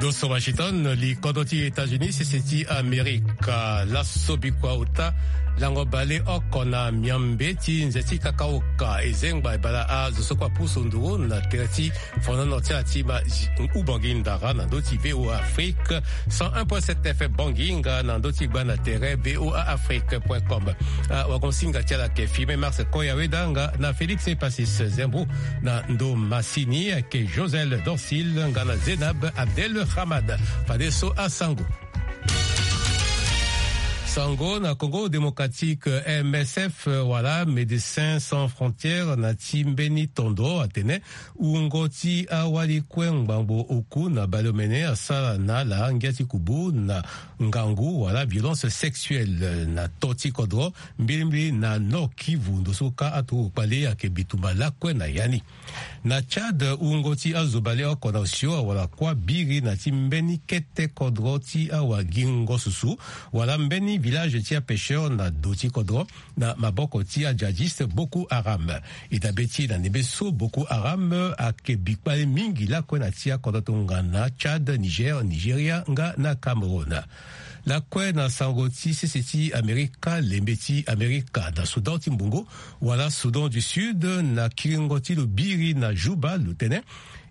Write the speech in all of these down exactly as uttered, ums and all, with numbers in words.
Washington, li kodro ti États-Unis, sese ti Amerika. Laso bikua ota, lango baleoko na miambe ti nze ti kakaoka ezengba ebala azo so kue apusu nduru na tere ti fonono ti ala ti ma ubangi ndara na ndö ti VOA Afrique, cent un point sept F M Bangi nga na ndö ti gba na tere VOA Afrique point com. Ah, wagon singa ti ala ke filme Mars Koya Weda nga na Félix Epasis Zembo na ndo masini, ake Josel Dorsil nga na Zenab Abdel Hamad. Fade so asango. Sango na Congo Démocratique, M S F wala Médecins Sans Frontières na ti mbeni tondo atene wungo ti awali kue ngbangbo oku na baleomene asara na ala ngia ti kubu na ngangu wala violence sexuelle na to ti kodro, mbilimbili na Nord Kivu, ndo so ka aturugu kpale ake bitumba lakue na ya ni. Na Tchad, wungo ti azo baleoko na osio awara kuâ biri na ti mbeni kete kodro ti awagingo susu wala mbeni village ti apêcheur na do ti kodro na maboko ti ajihadiste Boko Haram. E dabe ti na ndembe so Boko Haram ake bi kpale mingi lakue na ti akodro tongana Tchad, Niger, Nigeria nga na Cameroun. Lakue na sango ti sese ti Amerika, lembe ti Amerika na Soudan ti mbongo wala Soudan du Sud, na kiringo ti lo biri na Juba, lo tene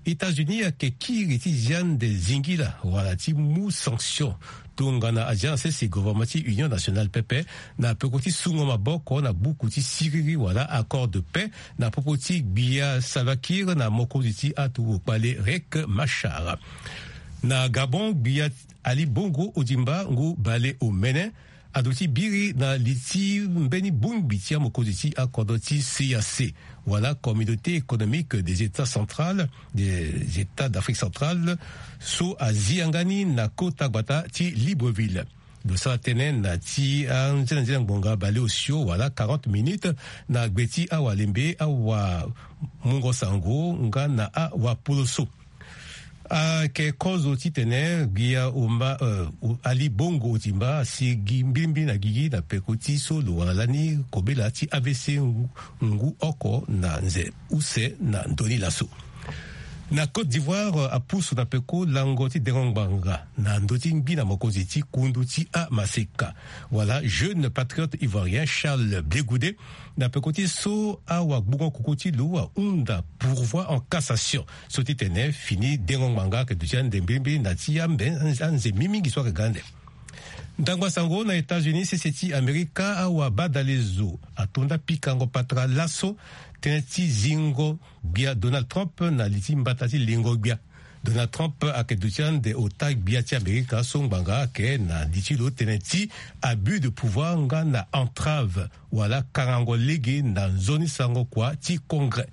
États-Unis ayeke kiri ti zia nde zingila wala ti mu sanction tongana azia na sese gouvernement ti Union Nationale pepe na peko ti sungo maboko na buku ti siriri wala accord de paix na popo ti gbia Salva Kiir na mokonzi ti aturugu kpale Riek Machar. Na Gabon, gbia Ali Bongo Ondimba ngu baleomene aduti biri na li ti mbeni bongbi ti amokonzi ti akodro ti C E E A C wala Communauté économique des États centrales, des États d'Afrique centrale, so azi yanga ni na kota gbata ti Libreville. Lo sara tënë na ti anzenanzena ngbonga baleosio wala quarante minutes na gbe ti awalembe awamungo sango nga na awapoloso. Ayeke kozo titene gbia Omba, eh, Ali Bongo Ondimba asi gi mbilimbili na gigi na peko ti so lo wara lani kobela ti A V C ngu, ngu oko na nze use na ndö ni laso. Na Côte d'Ivoire, apusu na peko lango ti dengo ngbanga na ndö ti ngbi na mokonzi ti kundu ti amaseka wala jeune patriote ivoirien Charles Blegoudé, na peko ti so awagbungo koko ti lo ahunda pourvoi en cassation so titene fini dengo ngbanga ayeke duti ande mbilimbili na ti ambe anze mingi mingi so ayeke ga ande. Ndangba sango na États-Unis, sese ti Amerika, awabadalezo atonda pikango patara laso tënë ti zingo gbia Donald Trump na li ti mbata ti lingo gbia. Donald Trump ayeke duti ande ota gbia ti Amerika so ngbanga ayeke na li ti lo tënë ti abus de pouvoir nga na entrave wala kangango lege na nzoni sango kua ti Congrès.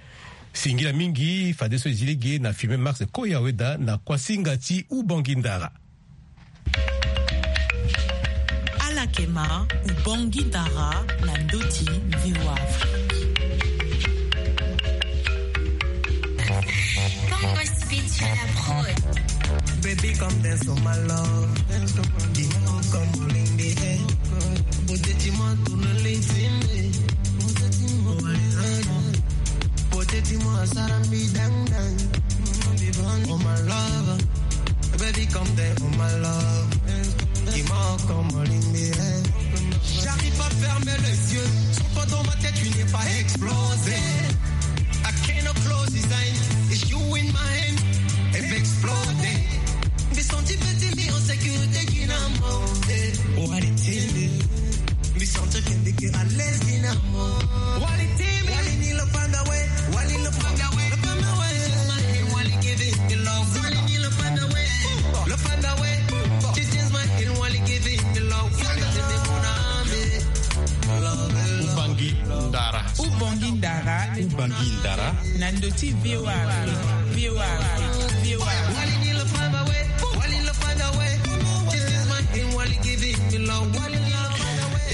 Singila mingi, fadeso e zi lege na filme Max Koyaweda na kuasinga ti Ubongi Ndara. Ala yeke ma Ubongi Ndara na ndö ti VOA Afrique. Congo Speech à la prod. Baby, come dance for my love. Dis-moi comme on lingbe. Beauté, dis-moi, tourne l'intimité. Beauté, dis-moi, ça rend me down, down. Oh my love, baby, come there, oh my love. Dis-moi comme on lingbe. J'arrive pas à fermer les yeux. Sans toi dans ma tête, tu n'es pas explosé. I cannot close his eyes. It's you in my hand. If exploding. Be something better me on security, you know, more. What it is. Be something can be a lesbian. Wali timi. Wali ni lo panda we. Wali lo panda we. Lo panda we. Wali give it the love. Wali ni lo panda we. Lo panda we. This is my hill. Wali give it the love. Wali give it the love. Ubongi Ndara. Ubongi Ndara. Ubongi Ndara. Na ndö ti VOA Afrique. VOA Afrique. VOA Afrique. Wali ni lo panda we. Wali lo panda we. This is my hill. Wali give it the love. Wali ni lo panda we.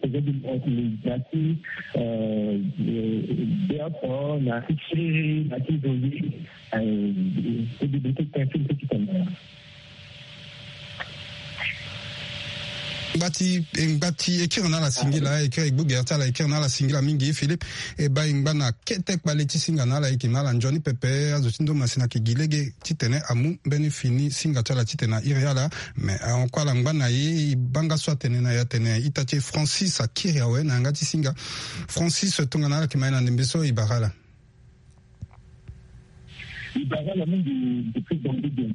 projet de loi ti médiatique, euh, euh, théâtre, na ti série, na ti zoli, euh, ti bibliothèque ti tene. Ngba ti, ngba ti e kiri na ala singila, e kiri e gbu gere ti ala, e kiri na ala singila mingi Philippe. E baa e ngba na kete kpale ti singa na ala, e yeke na ala nzoni pepe. Azo ti ndo masina ayeke gi lege titene amu mbeni fini singa ti ala titene a iri ala. Me ahon kue ala ngba na e, e baa nga so atene na e atene ita ti e Francis akiri awe na yanga ti singa. Francis, tongana ala yeke ma e na ndembe so, e bara ala. E bara ala mingi depuis Bangui.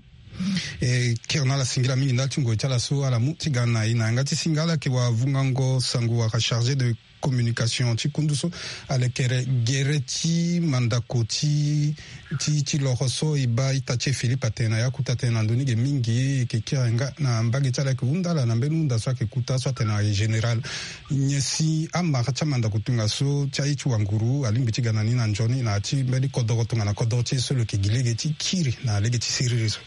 E kiri na ala singila mingi ndali ti ngoi ti ala so ala mu ti ga na e na yanga ti singa. Ala yeke wavungango sango wala chargé de communication ti kundu so alekere gere ti mandako ti ti ti loro so e baa ita ti e Philippe atene na ya kuta atene na ndoni ge mingi e yeke kiri nga na mbage ti ala ayeke hunda ala na mbeni hunda so ayeke kuta so atene na e général. Nyen si amara ti amandako tongaso ti aye ti wanguru alingbi ti ga na ni na nzoni na ya ti mbeni kodoro tongana kodoro ti e so lo yeke gi lege ti kiri na lege ti siriri so?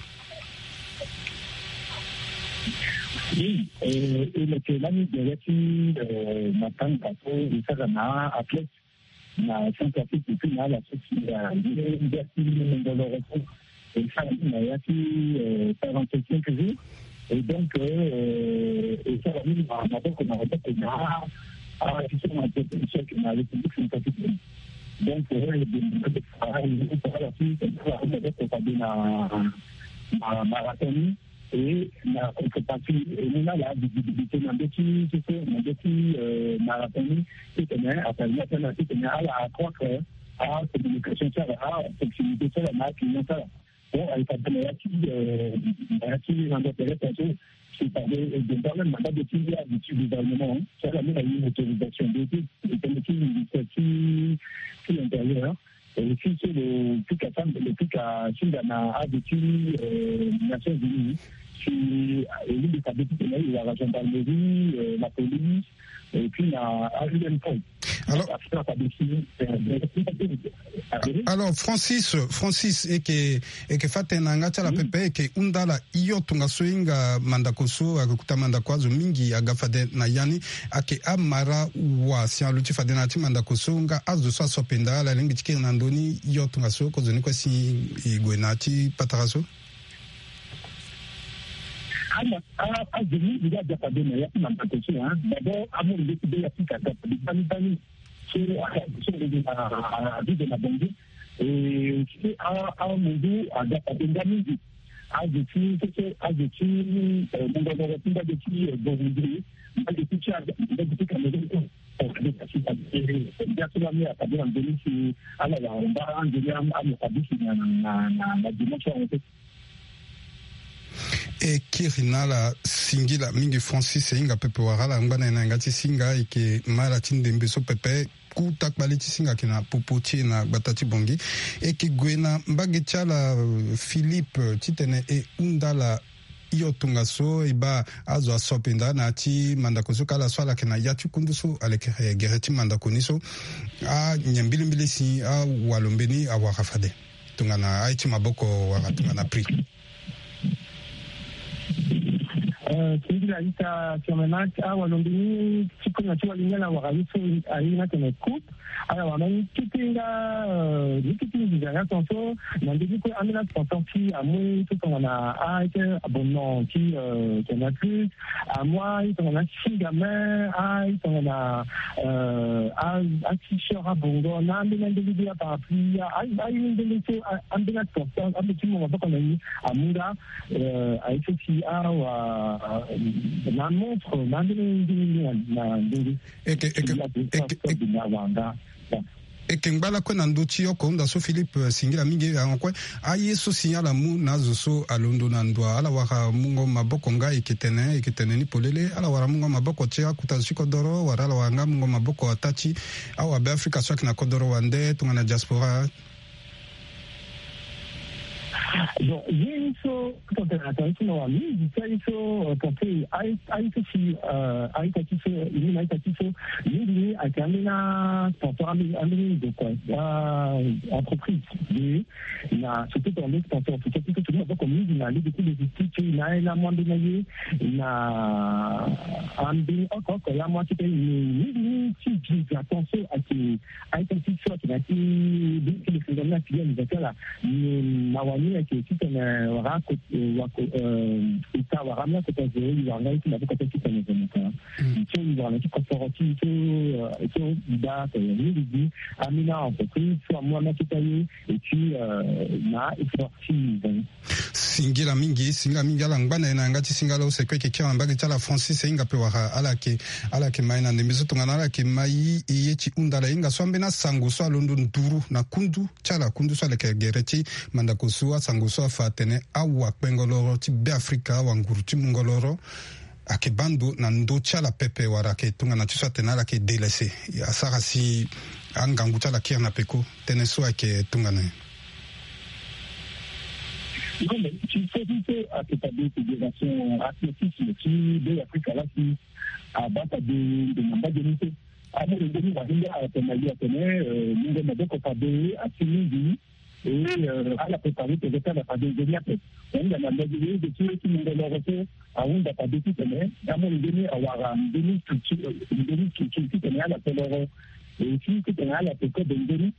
Oui, euh, e leke lani gere ti euh, matanga so e sara na athlète na Centrafrique et puis na ala so si ngia ti ngoloro so e sara ni na ya ti euh, quarante-cinq jours. Et donc euh, e sara ni na maboko na maboko na a ti so na protection na République Centrafrique. Donc euh, e bembe na ala ti ala maboko fade na marathon ni. Et na contrepartie e mu na ala visibilité na ndö ti sese na ndö ti euh, marathon ni. Titene apermettre na ala titene ala accroître a communication ti ala, a proximité ti ala na aclient ti ala. Bon, ayeke ade na ya ti euh, na ya ti rendre terrestre so c'est-à-dire e donda même na mbage ti azi ti gouvernement ti ala mu na ye autorisation de ti e tene ti ministère ti ti intérieur. E si so lo pika sambele pika singa na azo ti euh, Nations Unies si e lingbi fade titene e wara gendarmerie euh, la police et puis na A U M P. Alors, alors Francis, Francis, e yeke e yeke fâ tënë na yanga ti ala pepe, e yeke hunda ala hio tongaso e hinga mandako so ayeke kuta mandako azo mingi aga fade na ya ni. Ayeke amara wa si aluti fade na ya ti mandako so nga azo so aso ape nda ala lingbi ti kiri na ndö ni hio tongaso kozoni kue si e gue na ya ti patara so? Azo mingi nga aga fade na ya ti mandako so. D'abord amu nde ti be ya ti ka aga fade gbani gbani. So so abibe na bongi e si amundu aga fade nga mingi. Azo ti so so azo ti mungo ngongo ti mbage ti bongi mbage ti ti aga mbage ti Cameroun. Ndia so lani afade na ndoni si ala wara mba ndoni ame fade si na na na dimanche ango te. E kiri na ala singila mingi Francis, e hinga pepe wara ala angba na e na yanga ti singa e yeke ma ala ti ndembe so pepe. Kuta kpale ti singa ayeke na popo ti e na gbata ti bongi. E yeke gue na mbage ti ala Philippe titene e hunda ala hio tongaso e baa azo aso ape nda na ya ti mandako so ka ala so ala yeke na ya ti kundu so alekere gere ti mandako ni so. Anyen mbilimbili si awalombe ni awara fade tongana aye ti maboko wala tongana prix. Singila ita Firmenac, awalombe ni ti kue na ti wali ni ala wara ye so aye ni atene coupe. Ala wara mbeni kete nga ni kete nginza nga tongaso. Na ndö ni kue ambeni sponsor ti amu ye so tongana aye ti abonnement ti Canal Plus. Amu aye tongana singa me aye tongana a t-shirt abongo na ambeni andenge ti aparapluie aye ni ndenge so. Ambeni sponsor ambeni ti mo maboko na ni amu nga aye so si awa na montre na ambeni ndenge na ndenge. Eke eke eke eke na wanga. Eke ngba lakue na ndö ti oko hunda so Philippe singila mingi yango kue. Aye so si ala mu na azo so alondo na ndo ala wara mungo maboko nga eke tene eke tene ni polele ala wara mungo maboko ti akuta zo ti kodoro wala ala wara nga mungo maboko ata ti awabe afrika so ayeke na kodoro wande tongana diaspora. Bon ye ni so tongana tongana ti mawa mingi ti aye so porte aye so si aita ti so ye ni na aita ti so mingi ni ayeke ambeni sponsor ambeni ndokua entreprise de na surtout tongana mbeni sponsor officiel ti so tongana maboko mingi na lege ti logistique na aye na amu ambeni aye na ambeni oko oko ya amu akete mingi ni ti visa ton so ayeke aita ti so ayeke na ya ti bini ti le fingani na filiale za ti ala. Mawa ni ayeke titene wara wako eta wara ambeni akota zo e wara nga ye ti maboko ti titene zo mota. So e wara na ti koforo ti so so e baa tene mingi gi ambeni aentreprise so amu ambeni akota ye. Et puis na effort ti zo ni. Singila mingi singila mingi ala ngba na ye na yanga ti singa ala use kue yeke kiri na mbage ti ala Francis e hinga pe wara ala yeke ala yeke ma ye na ndembe so tongana ala yeke ma ye ti hunda ala hinga so ambeni asango so alondo nduru na kundu ti ala kundu so aleke gere ti mandako so. tango so afa atene awa kpengoloro ti Beafrika, awa nguru ti mungoloro, ayeke baa ndo na ndö ti ala pepe wala ayeke tongana ti so atene ala yeke délaissé. Asara si angangu ti ala kiri na peko. Tënë so ayeke tongana nyen? Non, mais ti so ti so ayeke fade fédération athlétisme ti Beafrika laa si abaa fade ndo na mbage ni so. Amolenge ni wahinde atene na ye atene, euh, mungo maboko fade asi mingi. Et, euh, ala préparé peut-être ala fade nzoni ape. Ahunda na mbage ni, nde ti, ti mungo loro so ahunda fade titene amolenge ni awara nzoni structure, euh, nzoni structure titene ala fe loro. Et si titene ala fe code nzoni,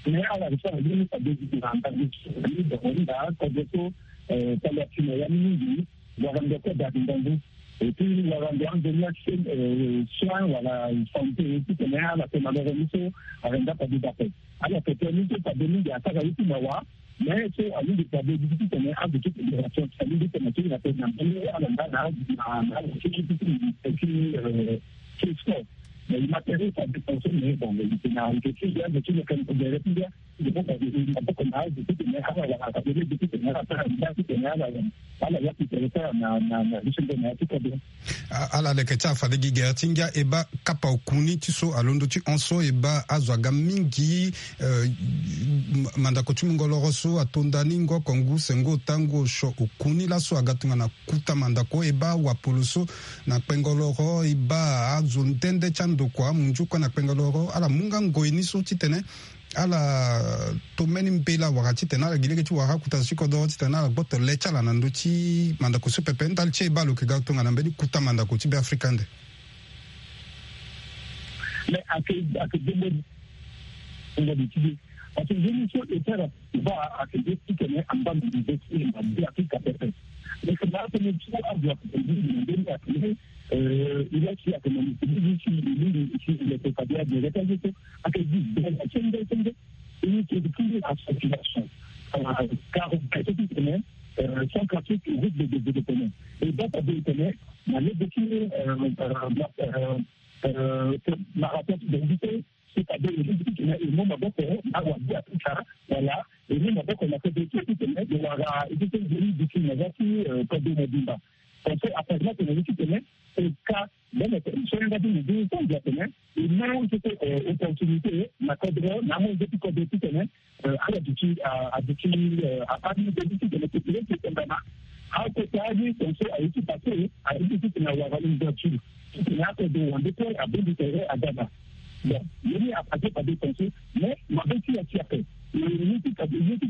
mais ala iri so ala lingbi fade na mbage ti, na kodro so, euh, tali asi na ya ni mingi. Wara ndo kue daa ti ngangu. Et puis wara ndo anzoni action, euh, soin wala santé, titene ala tene na loro ni so, ala nda fade daa ape. Ala tene ni so fade mingi asara ye ti mawa. Mais so alingbi fade ti tene azo ti fédération alingbi tene ti na tene na mbeni ala nda na, na, na, ti, ti, euh, ti sport. Mais e matériel fade conso, mais bon, e tene na, e tene na, e tene na, A- ala leke ti ala fade gi gere ti ngia e baa kapa okuni ti so alondo ti hon so e baa azo aga mingi, euh, m- mandako ti mungoloro so ato nda ni ngo oko ngu sengo ota ngu osio okuni laso aga tongana kuta mandako e baa wapolo so na kpengoloro e baa azo nde nde ti andokua amunzu kue na kpengoloro ala mu nga ngoi ni so titene ala to mbeni mbela wala titene ala gi lege ti wara akuta zo ti kodoro titene ala gboto le ti ala na ndö ti mandako so pepe. Ndali ti e baa lo yeke ga tongana mbeni kuta mandako ti Beafrika ande. Mais ake ake bongo bongo de ti de. Parce que nzoni so e sara baa ake de titene amba mo de ti e na Beafrika pepe. Mais que na atene so azo ake de na ndeni ake de, euh, il a si ake na ndeni si il est fabia de rétager so ake di de la sende sende. Une structure à circulation, euh, car c'est ce qui connaît, euh, sans pratique route de développement. Et donc, on connaît la médecine, euh, euh, euh, euh, marathon de lutte, c'est-à-dire le lutte qui connaît le monde d'abord, là où on dit à tout ça, voilà, et nous, d'abord, on a fait des trucs qui connaît, de la, et qui connaît, euh, pas de mobimba. Parce que, après, là, on a dit, qui connaît, c'est le cas Donk, so yanga ti mo bini so mbi atene e mu tete, euh, opportunité na kodro na amondo ti kodro titene, euh, ala duti, euh, aduti, euh, apari nzoni titene population ti tongana akota ni tonso aye ti pase aye ti titene awara ouverture titene akodro wande kue abongbi tere aga na. Bon, ye ni apase fade tonso, mais mabe ti ya ti ape. Ye ti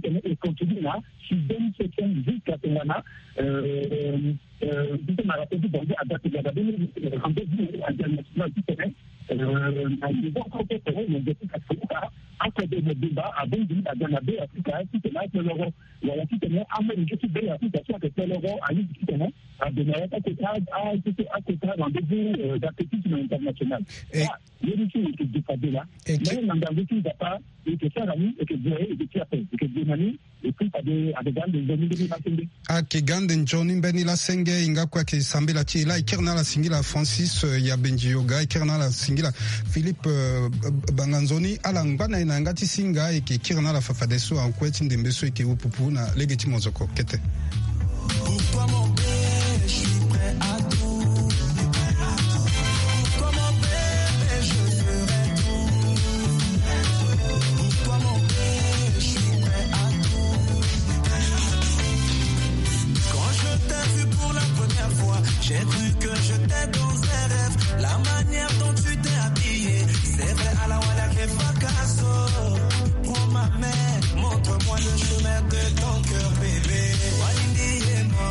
tene e continue na sixième, septième jusqu'à tongana, euh, euh, euh, ti tene na rappel ti Bangui ada ti gada bini, euh, rendez-vous international ti tene, euh, na niveau koko tene na nze ti Afrika, akodo mobimba abongbi aga na Be Afrika ti tene ape loro, wala ti tene amolenge ti Be Afrika so ayeke pe loro alingbi ti tene ado na ya ti akota, a, ti akota rendez-vous, euh, d'athlétisme international. Ah, ye ni so e yeke ge fade laa. Mais na ngangu ti Nzapa e yeke sara ni, e yeke gue, e yeke ti ape, e yeke gue na ni. Et puis fade ake ga ande nzoni mbeni lasenge. Ake ga ande nzoni mbeni lasenge, e nga kue ayeke sambela ti e laa. E kiri na ala singila Francis, euh, Yabenji Yoga, e kiri na ala singila Philippe, euh, Banganzoni, ala ngba na e na yanga ti singa. E yeke kiri na ala fafadeso, akue ti ndembe so e yeke wu pupu na lege ti mozoko kete. Pourquoi mon père, je suis prêt à tout. Pourquoi mon bébé, je ferai tout. Pourquoi mon bébé, je suis prêt à tout. Quand je t'ai vu pour la première fois, j'ai cru que j'étais dans un rêve. La manière dont tu t'es habillée, c'est vrai, ala wala ke fakaso. Prends ma main, montre-moi le chemin de ton cœur, bébé. Walindi ye mo,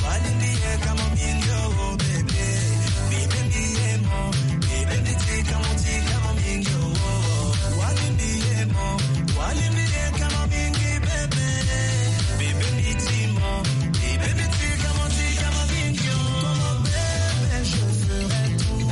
walindi ye kamo mingi o, bébé. Bibe mi ye mo, bibe mi ti kamo ti kamo mingi o. Walindi ye mo, walindi ye kamo mingi, bébé. Bibe mi ti mo, bibe mi ti kamo ti kamo mingi o. Comme bébé, je ferai tout.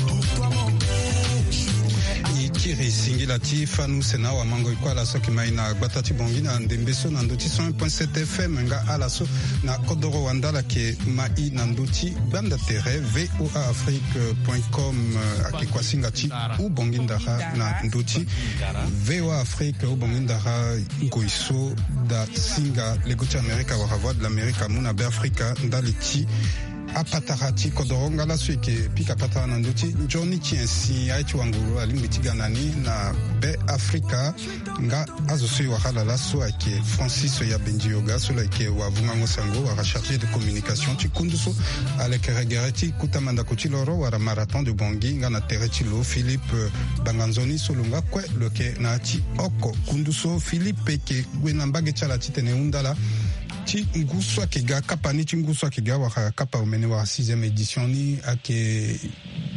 Pourquoi mon bébé, je ferai tout. E kiri singila Ti fanu sena wa mango ikua la so ke mai na gbata ti bongi na ndembe so na ndo ti cent un point sept F M nga ala so na kodoro wanda la ke mai na ndo ti gbanda tere V O A Afrique point com. Ake kua singa ti u bongi ndara na ndo ti V O A Afrique u bongi ndara ngoi so da singa lego ti Amerika wala Voix de l'Amerique amu na Be Afrika ndali ti apatara ti kodoro nga laso eke pika patara na ndo ti nzoni ti ensi aye ti wanguru alingbi ti ga na ni na Be Afrika. Nga azo so e wara ala laso ayeke Francis Yabendi Yoga so lo yeke wavungango sango wala chargé de communication ti kundu so. Alekere gere ti kuta mandako ti loro wala marathon de bongi nga na tere ti lo Philippe Banganzoni so lo nga kue lo yeke na ya ti oko kundu so. Philippe eke gue na mbage ti ala titene e hunda la ti ngu so ayeke ga kapa ni ti ngu so ayeke ga wala kapa omene wala sixième édition ni ayeke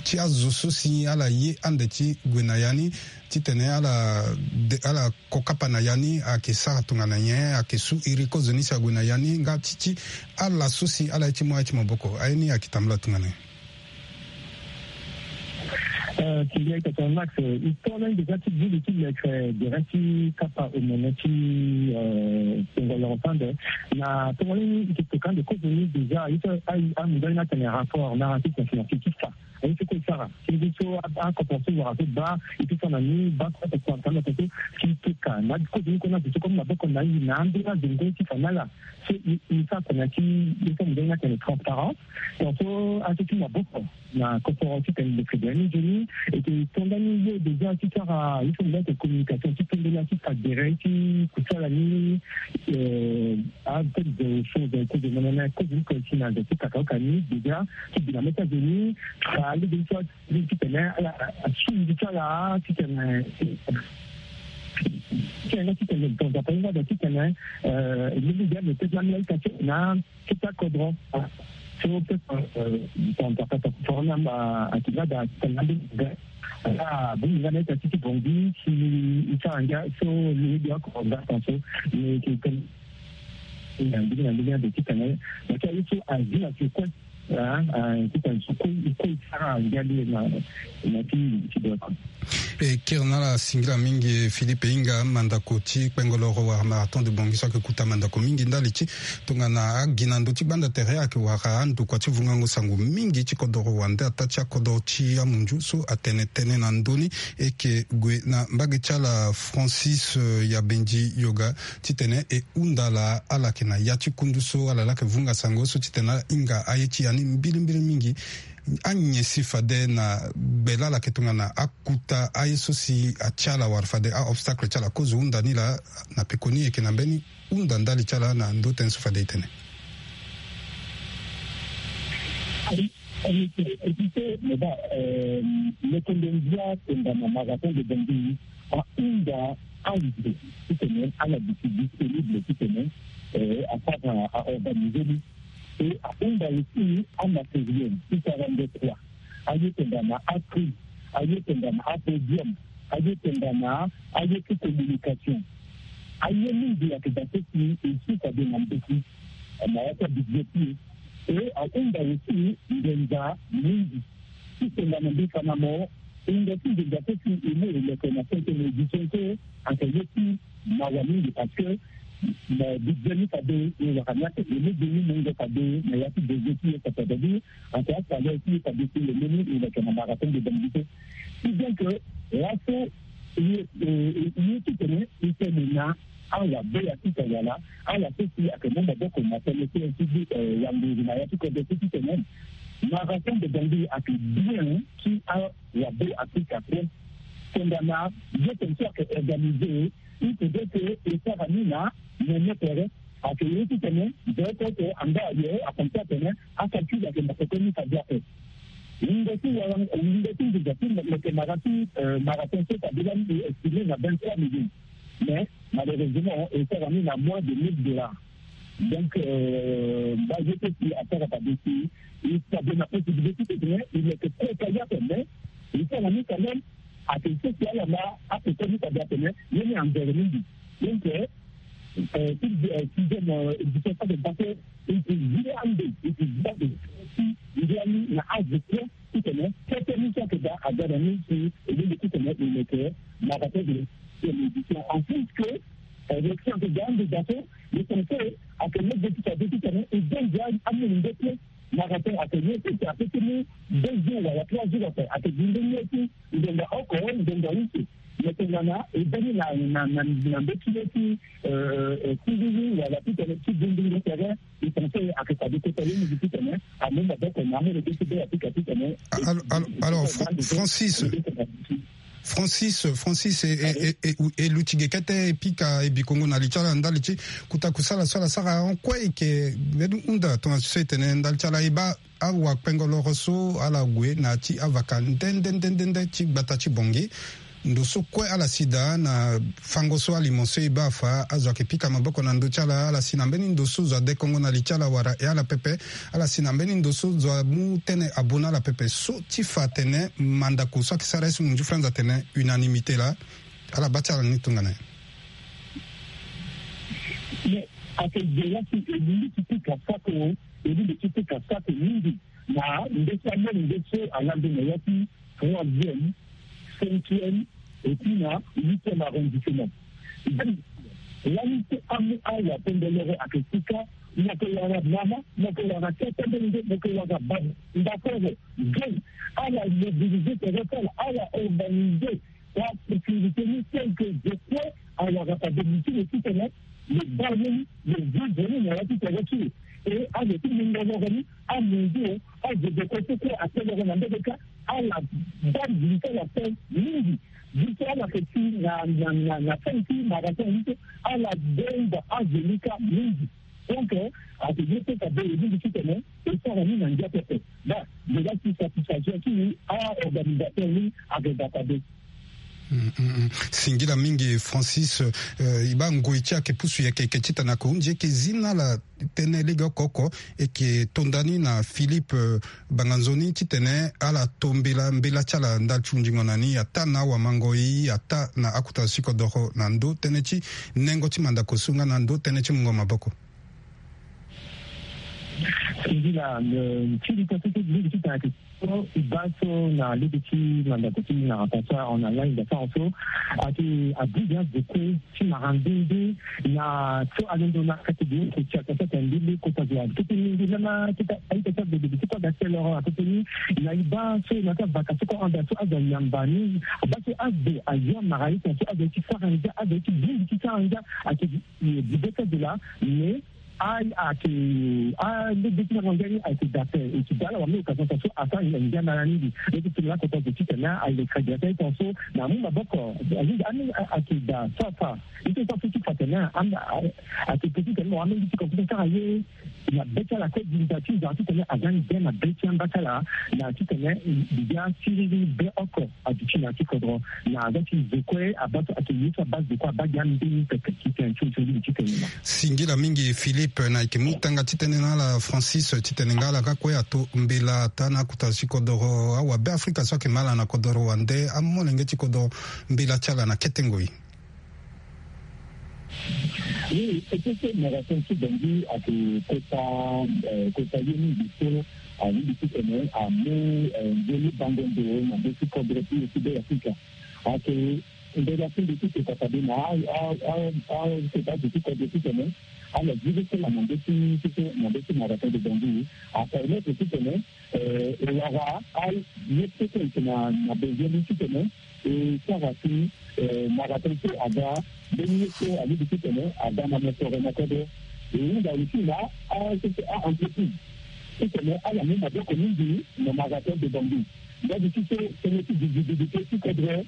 ti azo so si ala ye ande ti gue na ya ni titene ala de, ala ko kapa na ya ni ayeke sara tongana nyen ayeke su iri kozo ni si ague na ya ni nga ti ti ala so si ala ye ti mu aye ti maboko aye ni ayeke tambula tongana nyen. Kiri ayeke tongana Max, e to lani déjà ti gili ti leke gere ti kapa omene ti kpengolo sande na tongana ni e ke toka ande kozo ni déjà aye so amundu aye ni atene rapport narratif na financier ti fa aye so kue e sara ti ngu so akoporo so wara so baa e ti fa na ni baa so akoporo atanga so ti toka na kozo ni kue na zo so kue maboko na e na ande na zo ngoi ti fa na ala. So e sara tongana ti ye so amundu aye ni atene transparence. Donc so aye so ti maboko na koporo ti tene lo fede ni nzoni. E ke to ndani ye déjà ti sara ye so mo laa ete communication ti tondela ti fa gere ti kusala ni. Apeut de choses kozo mene na kozo ni kozo ti na zo ti kakaoka ni déjà ti bi na mê ti azo ni. Fa lege ni so ti tene ala asu ngu ti ala ti tene ti tene ti tene donza pa ye nga da ti tene. Lege ni azo ti lani la ita ti na ti ta kodro. So peut-être ton papa ta corona ma akina da tanga de ga. Ah bon nga na ta ti bongi si i tanga so ni dia ko da ton so ni ki kan. Ni ndi ni ndi de ti tanga. Ma ta yusu a dina ti ko. Ah ah ti tanga so ko ko sara ngali na na ti ti do. E kiri na ala singila mingi Philippe e hinga mandako ti kpengoloro wala marathon de bongi so ayeke kuta mandako mingi ndali ti tongana agi na ndö ti gbanda tere ayeke wara andokua ti vungango sango mingi ti kodoro wande ataa ti akodoro ti amunzu so atene tënë na ndö ni. E yeke gue na mbage ti ala Francis Yabendi Yoga titene e hunda ala ala yeke na ya ti kundu so ala laa yeke vunga sango so titene ala hinga aye ti ya ni mbilimbili mingi. Anyen si fade na gbe laa ala yeke tongana akuta aye so si atia ala wala fade a-obstacle ti ala kozo hunda ni laa na pekoni e yeke na mbeni hunda ndali ti ala na ndö tënë so fade e tene. Epise meda lokondo ndia tenda na marathon de bongi ahunda azo titene ala duti disponible titene asara aorganize ni. E ahunda aussi amatériel ti sara ndokua. Aye tenda na apri, aye tenda na apodium, aye tenda na aye ti communication. Aye mingi ayeke daa so si e suka de na mbeti na ya ti abudget ti e. E ahunda aussi nginza mingi ti tenda na mbeti na mo. Nginza ti nginza so si e mu e leke na cinquième édition so ayeke ye ti mawa mingi parce que na budget ni fade e wara ni ake e lege ni mungo fade na ya ti budget ti e fade ni ake asalaire ti e fade ti e lege ni e leke na marathon de bongi so. Ti donc laso ye titene e tene na awabe ya ti tawala ala so si ayeke mu maboko na tënë ti e ti wanguru na ya ti kodro so titene marathon de bongi ayeke bien ti awabe Afrika kue. Tongana ye tene so ayeke organize il faudrait que e sara ni na nene tere. Ayeke ye titene beko oko anga aye akonte atene acalcul ayeke na koko ni fade ape. Wungo ti wara wungo ti nginza ti leke mara ti mara ti nso fade lani e estimé na vingt trois millions. Mais malheureusement e sara ni na moins de mille dollars. Donc baa ye so si asara fade si e fade na possibilité titene e leke kota ye ape mais e sara ni quand même. Ayeke so si ala ma akoko ni fade atene ye ni anzere mingi. Donc ti sixième édition so ayeke passé e yeke zi ande e yeke zi ande ti zi ani na azo kue titene kete Ni so ayeke daa aga na ni si e lingbi titene e meke marathon de, de médicien. En plus que, eh, le ti ayeke daa ande daa so, le conseil ayeke lege ti fade titene e baa ndia amolenge kue. Marathon ayeke ye ti ayeke ti mu deux jours wala trois jours ape, ayeke gi nde ye ti ngonga oko, ngonga use. Mais tongana e baa ni na, na, na, na mbeti ye ti, euh, euh, siriri wala titene ti bundingo tere, e conseil ayeke fade kota ye mingi titene amu maboko na amolenge ti be Afrika titene. Alors, alors, Fran-, Francis, Francis, Francis, e, e, e, e, e luti ge kete e pika e bikongo na li ti ala ndali ti kota kusala so ala sara ahon kue. E yeke mbeni hunda tongana so e tene ndali ti ala e baa awakpengo loro so ala gue na ya ti avaka nde nde nde nde nde ti gbata ti Bangui. Ndo so kue ala si daa na fango so alimo so e baa afa, azo ayeke pika maboko na ndö ti ala. Ala si na mbeni ndo so zo adekongo na li ti ala wala e ala pepe. Ala si na mbeni ndo so zo amu tënë abu na ala pepe so ti fa atene mandako so ayeke sara ye so munzu franz atene unanimité laa. Ala baa ti ala ni tongana nyen? Mais ayeke ge laa si e lingbi ti pika sako, e lingbi ti pika sako mingi na nde ti amolenge so alande na ya ti troisième, cinquième, et puis na huitième arrondissement. Donc, lani so amu awakpengo loro ayeke sika, mo yeke wara mama, mo yeke wara tata molenge, mo yeke wara baba, ndakoro, jeune, ala mobiliser tere ti ala, ala organiser asécurité ni tel que je crois, awara fade mutu lo titene lo baa ye ni, lo vivre ni na ya ti tere ti lo. E azo ti mungo loro ni, amunzu o, azo deko so kue ate loro na mbege kâ, ala baa li ti ala pe mingi. Biso ala yeke ti na, na, na, na fin ti marathon ni so, ala baa azo ni kâ mingi. Donc, euh, ayeke ye so fade e lingbi titene e sara ni na ngia pepe. Ba, nzela ti satisfaction ti a-organisateur ni ayeke ga fade. Mm, mm, mm. Singila mingi Francis, euh, e baa ngoi ti ayeke pusu yeke yeke titene ayeke hunzi yeke zi na ala tënë lege oko oko. E yeke to nda ni na Philippe, euh, Banganzoni titene ala to mbela, mbela ti ala ndali ti hundingo na ni ataa na awamangoi, ataa na akota sikodoro na ndö tënë ti nengo ti mandako so nga na ndö tënë ti mungo maboko. Singila, eh, ti li ti so ti lingbi ti tene ayeke so e baa so na lege ti mandako ti ni na Pasa en Allemagne, da sara so ayeke abi bien azo kue ti mara nde nde na so alondo na kate de oko ti ata so atene nde nde kota zo apepe ni nde lama ti ta aita ti abebe ti kue aga ti loro apepe ni. Na e baa so na ti avaka so kue anda so azo ayamba ni, baa so azo ayo amara ye tene so azo ye ti sara ngia, azo ye ti bongbi ti sara ngia, ayeke Di bê ti azo laa, mais a, ayeke, a, lege ti na ngia ni ayeke daa ape. E yeke daa ala wara mbeni occasion parce que asara ngia na ala mingi. Lege ti tene lakota zo titene ayeke crédit ape, e pense so na amu maboko. Alingi, a, ayeke daa so afa. E ti so afa so ti fa tene, a, ayeke pe titene mo wara mbeni ti compétition ti sara ye. Na be ti ala kue, di nda ti nzara titene aza ni be na be ti amba ti ala, na titene mbi ga siriri be oko. Aduti na ya ti kodro na aza ti zo kue abaa so ayeke ye so abaa zo kue abaa gi ambeni pepe ti tene ti zo ti tene na. Singila mingi Philippe, na yeke mu tanga ti tënë na ala Francis titene nga ala ga kue ato mbela ataa na akota sikodoro awabe Afrika so ayeke ma ala na kodoro wande amolenge ti kodro mbela ti ala na kete ngoi. Oui, e peut ti mara tënë ti Bangui ayeke kota, eh, kota ye mingi so alingbi titene amu, eh, nzoni bango ndo na be ti kodro ti e ti Be Afrika. Ayeke mbela ti mbi ti kota fade na a, a, a, a, kota azo ti kodro titene ala zi be so na be ti, ti so na be ti mara tënë de Bangui apermettre titene Eh, e wara aye so so e yeke na, na besoin ni titene e sara si, eh, mara tënë so aga mbeni ye so alingbi titene aga na mosoro na kodro. E hunda aussi na a, a entreprise titene ala mu maboko mingi na mara tënë de Bangui. Ndali ti so tënë ti visibilité ti kodro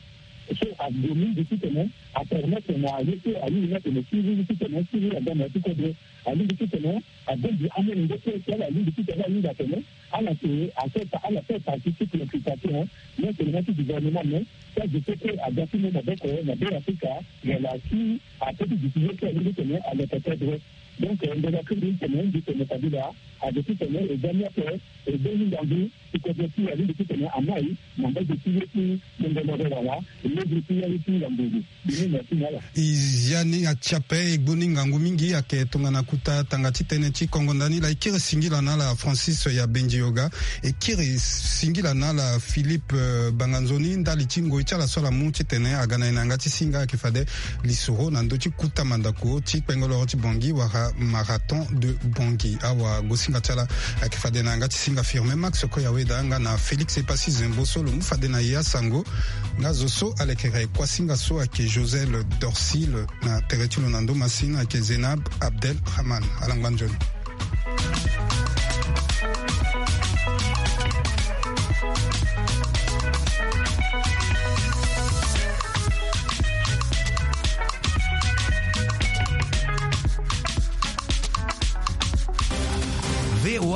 so ague mingi titene apermettre na ye so alingbi ni atene siriri titene siriri aga na ya ti kodro. Alingbi titene abongbi amolenge so si ala lingbi titene ala hinga atene ala yeke aso, ala so partie ti préoccupation non seulement ti gouvernement, mais ti azo so kue aga ti mu maboko na Be Afrika, wala si ape ti duti ye so alingbi titene aleke kodro. Donc ndeko akiri tene mbi tene kabila ake ti tene e ga ni ake e be ni ngangu ti kodro ti alingbi ti tene amai na mbage ti ye ti tongomoro wala e levre ti ya ye ti ngangu. Bini na ti na ala. E ya ni ati ape e gbu ni ngangu mingi ayeke tongana kuta tanga ti tënë ti kongo ndani laa e kiri singila na ala Francis ya Bendioga. E kiri singila na ala Philippe Banganzoni ndali ti ngoi ti ala so ala mu titene aga na e na yanga ti singa ayeke fade lisoro na ndö ti kuta mandako ti kpengoloro ti Bangui wala Marathon de Bangui. Awagosinga ti ala ayeke fade na yanga ti singa Firmin Max Koyaweda nga na Félix Epassi Zembo so lo mu fade na e asango. Nga zo so alekere kuasinga so ayeke Josel Dorcil na tere ti lo na ndo masini ayeke Zenab Abdel Rahman. Ala ngba nzoni.